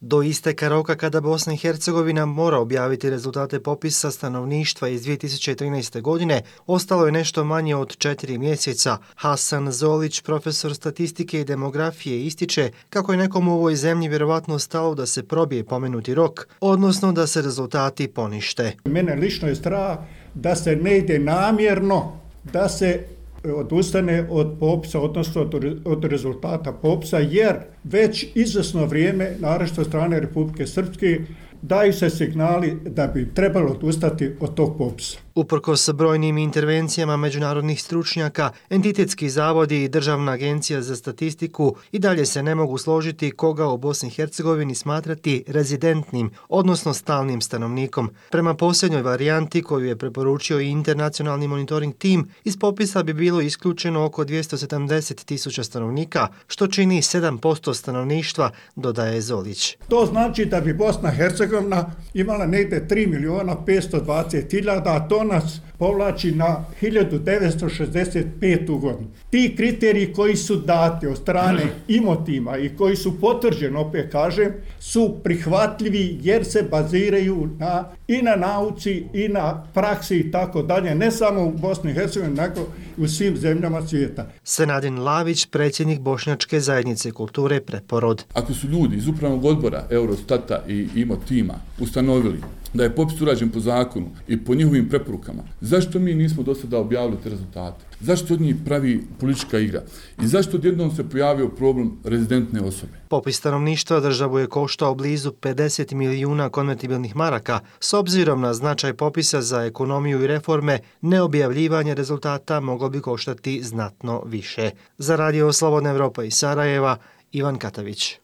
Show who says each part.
Speaker 1: Do isteka roka kada Bosna i Hercegovina mora objaviti rezultate popisa stanovništva iz 2013. godine, ostalo je nešto manje od 4 mjeseca. Hasan Zolić, profesor statistike i demografije, ističe kako je nekom u ovoj zemlji vjerovatno stalo da se probije pomenuti rok, odnosno da se rezultati ponište.
Speaker 2: Mene lično je strah da se ne ide namjerno, da se odustane od popisa, odnosno od rezultata popisa, jer već izvjesno vrijeme, naročito od strane Republike Srpske, daju se signali da bi trebalo odustati od tog popisa.
Speaker 1: Uprkos brojnim intervencijama međunarodnih stručnjaka, entitetski zavodi i Državna agencija za statistiku i dalje se ne mogu složiti koga u Bosni i Hercegovini smatrati rezidentnim, odnosno stalnim stanovnikom. Prema posljednjoj varijanti koju je preporučio i internacionalni monitoring tim, iz popisa bi bilo isključeno oko 270.000 stanovnika, što čini 7% stanovništva, dodaje Zolić.
Speaker 2: To znači da bi Bosna i Hercegovina imala negdje 3.520.000, a to nas povlači na 1965. godinu. Ti kriteriji koji su dati od strane Imotima i koji su potvrđeni, opet kažem, su prihvatljivi jer se baziraju i na nauci i na praksi i tako dalje, ne samo u Bosni i Hercegovini, nego u svim zemljama svijeta.
Speaker 1: Senadin Lavić, predsjednik Bošnjačke zajednice kulture Preporod.
Speaker 3: Ako su ljudi iz upravnog odbora Eurostata i Imotima ustanovili da je popis urađen po zakonu i po njihovim preporukama, zašto mi nismo do sada objavili te rezultate? Zašto od njih pravi politička igra? I zašto odjednom se pojavio problem rezidentne osobe?
Speaker 1: Popis stanovništva državu je koštao blizu 50 milijuna konvertibilnih maraka. S obzirom na značaj popisa za ekonomiju i reforme, neobjavljivanje rezultata moglo bi koštati znatno više. Za Radio Slobodna Evropa iz Sarajeva, Ivan Katavić.